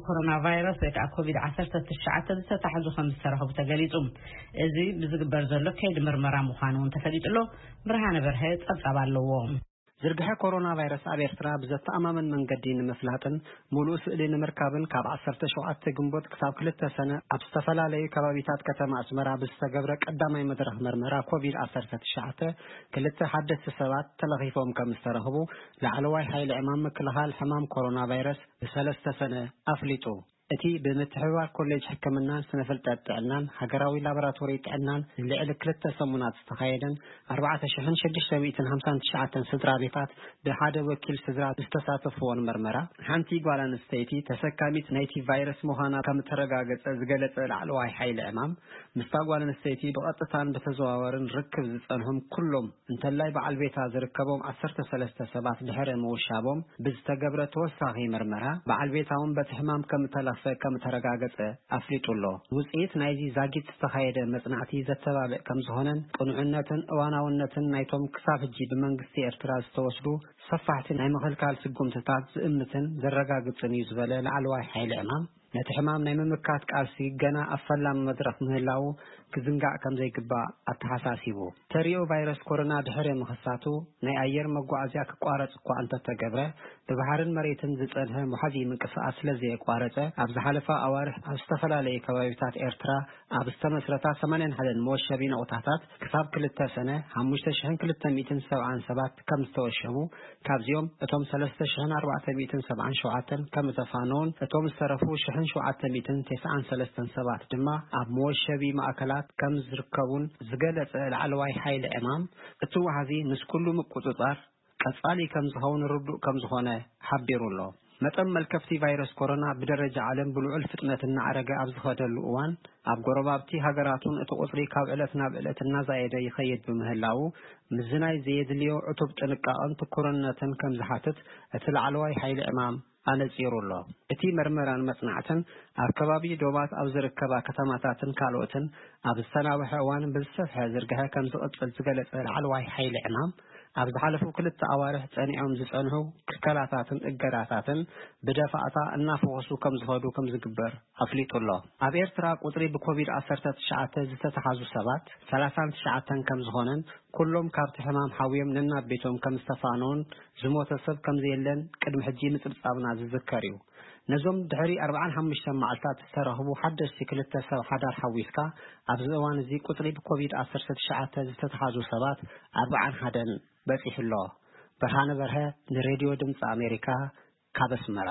ኮሮና ቫይረስ ወይ ከዓ ኮቪድ ዓሰርተ ትሽዓተ ዝተታሕዙ ከም ዝተረኸቡ ተገሊጹ። እዚ ብዝግበር ዘሎ ከይዲ ምርመራ ምዃኑ እውን ተፈሊጡ ኣሎ። ብርሃነ በርሀ ጸብጻብ ኣለዎ። ዝርግሐ ኮሮና ቫይረስ ኣብ ኤርትራ ብዘተኣማምን መንገዲ ንምፍላጥን ምሉእ ስእሊ ንምርካብን ካብ ዓሰርተ ሸውዓተ ግንቦት ክሳብ ክልተ ሰነ ኣብ ዝተፈላለዩ ከባቢታት ከተማ ኣስመራ ብዝተገብረ ቀዳማይ መድረኽ መርመራ ኮቪድ ዓሰርተ ትሽዓተ ክልተ ሓደስቲ ሰባት ተለኺፎም ከም ዝተረኽቡ ላዕለዋይ ሓይሊ ዕማም ምክልኻል ሕማም ኮሮና ቫይረስ ብሰለስተ ሰነ ኣፍሊጡ። እቲ ብምትሕብባር ኮሌጅ ሕክምናን ስነ ፍልጠት ጥዕናን ሃገራዊ ላቦራቶሪ ጥዕናን ንልዕሊ ክልተ ሰሙናት ዝተኻየደን ኣርባዕተ ሽሕን ሽዱሽተ ሚእትን ሓምሳን ትሽዓተን ስድራ ቤታት ብሓደ ወኪል ስድራ ዝተሳተፍዎን መርመራ፣ ሓንቲ ጓል ኣንስተይቲ ተሰካሚት ናይቲ ቫይረስ ምዃና ከም እተረጋገጸ ዝገለጸ ላዕለዋይ ሓይሊ ዕማም፣ ምስታ ጓል ኣንስተይቲ ብቐጥታን ብተዘዋወርን ርክብ ዝጸንሖም ኩሎም እንተላይ በዓል ቤታ ዝርከቦም ዓሰርተ ሰለስተ ሰባት ድሕሪ ምውሻቦም ብዝተገብረ ተወሳኺ መርመራ፣ በዓል ቤታ እውን በቲ ሕማም ከም እተለኽፈ ከም እተረጋገጸ ኣፍሊጡ ኣሎ። ውጽኢት ናይዚ ዛጊት ዝተኻየደ መጽናዕቲ ዘተባብዕ ከም ዝኾነን ቅኑዕነትን እዋናውነትን ናይቶም ክሳብ ሕጂ ብመንግስቲ ኤርትራ ዝተወስዱ ሰፋሕቲ ናይ ምኽልካል ስጉምትታት ዝእምትን ዘረጋግጽን እዩ ዝበለ ላዕለዋይ ሓይሊ ዕማም፣ ነቲ ሕማም ናይ ምምካት ቃልሲ ገና ኣብ ፈላሚ መድረኽ ምህላዉ ክዝንጋዕ ከም ዘይግባእ ኣተሓሳሲቡ። ተሪኦ ቫይረስ ኮሮና ድሕሪ ምኽሳቱ ናይ ኣየር መጓዓዝያ ክቋረጽ እኳ እንተተገብረ፣ ብባሕርን መሬትን ዝጸንሐ መሓዚ ምንቅስቓስ ስለ ዘየቋረጸ፣ ኣብ ዝሓለፋ ኣዋርሕ ኣብ ዝተፈላለዩ ከባቢታት ኤርትራ ኣብ ዝተመስረታ ሰማንያን ሓደን መወሸቢ ነቑጣታት ክሳብ ክልተ ሰነ ሓሙሽተ ሽሕን ክልተ ሚእትን ሰብዓን ሰባት ከም ዝተወሸቡ፣ ካብዚኦም እቶም ሰለስተ ሽሕን ኣርባዕተ ሚእትን ሰብዓን ሸውዓተን ከም ዝተፋነዉን እቶም ዝተረፉ ሽሕን ሸውዓተ ሚእትን ተስዓን ሰለስተን ሰባት ድማ ኣብ መወሸቢ ማእከላት ከም ዝርከቡን ዝገለጸ ላዕለዋይ ሓይሊ ዕማም፣ እቲ ዋሕዚ ምስ ኩሉ ምቁጽጻር ቀጻሊ ከም ዝኸውን ርዱእ ከም ዝኾነ ሓቢሩ ኣሎ። መጠን መልከፍቲ ቫይረስ ኮሮና ብደረጃ ዓለም ብልዑል ፍጥነት እናዓረገ ኣብ ዝኸደሉ እዋን፣ ኣብ ጎረባብቲ ሃገራቱን እቲ ቁጽሪ ካብ ዕለት ናብ ዕለት እናዛየደ ይኸይድ ብምህላዉ፣ ምስዚ ናይ ዘየድልዮ ዕቱብ ጥንቃቐን ትኩርነትን ከም ዝሓትት እቲ ላዕለዋይ ሓይሊ ዕማም ኣነጺሩ ኣሎ። እቲ መርመራን መጽናዕትን ኣብ ከባቢ ዶባት ኣብ ዝርከባ ከተማታትን ካልኦትን ኣብ ዝተናውሐ እዋን ብዝሰፍሐ ዝርግሐ ከም ዝቕጽል ዝገለጸ ላዕለዋይ ሓይሊ ዕማም፣ ኣብ ዝሓለፉ ክልተ ኣዋርሕ ጸኒዖም ዝጸንሑ ክልከላታትን እገዳታትን ብደፋእታ እናፈወሱ ከም ዝኸዱ ከም ዝግበር ኣፍሊጡ ኣሎ። ኣብ ኤርትራ ቁጽሪ ብኮቪድ ዓሰርተ ትሽዓተ ዝተተሓዙ ሰባት ሰላሳን ትሽዓተን ከም ዝኾነን፣ ኩሎም ካብቲ ሕማም ሓውዮም ነናብ ቤቶም ከም ዝተፋነዉን ዝሞተ ሰብ ከም ዘየለን ቅድሚ ሕጂ ምጽብጻብና ዝዝከር እዩ። ነዞም ድሕሪ ኣርባዓን ሓሙሽተን መዓልታት ዝተረኽቡ ሓደሽቲ ክልተ ሰብ ሓዳር ሓዊስካ፣ ኣብዚ እዋን እዚ ቁጽሪ ብኮቪድ ዓሰርተ ትሽዓተ ዝተተሓዙ ሰባት ኣርባዓን ሓደን በጺሑ ኣሎ። ብርሃነ በርሀ ንሬድዮ ድምጺ ኣሜሪካ ካብ ኣስመራ።